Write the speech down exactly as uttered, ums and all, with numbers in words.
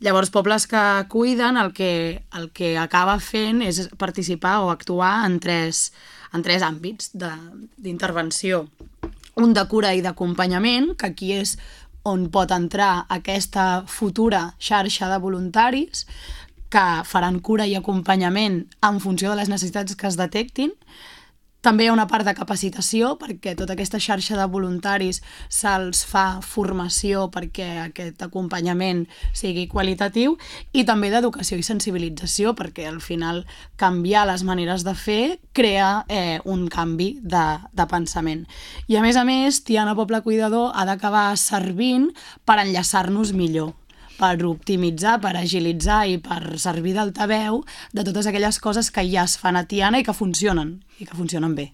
Llavors, Pobles que cuiden el que, el que acaba fent és participar o actuar en tres, en tres àmbits d'intervenció. Un de cura i d'acompanyament, que aquí és on pot entrar aquesta futura xarxa de voluntaris que faran cura i acompanyament en funció de les necessitats que es detectin. També hi ha una part de capacitació, perquè tota aquesta xarxa de voluntaris se'ls fa formació perquè aquest acompanyament sigui qualitatiu, i també d'educació i sensibilització, perquè al final canviar les maneres de fer crea eh, un canvi de, de pensament. I a més a més, Tiana Poble Cuidador ha d'acabar servint per enllaçar-nos millor, per optimitzar, per agilitzar i per servir d'altaveu de totes aquelles coses que ja es fan a Tiana i que funcionen, i que funcionen bé.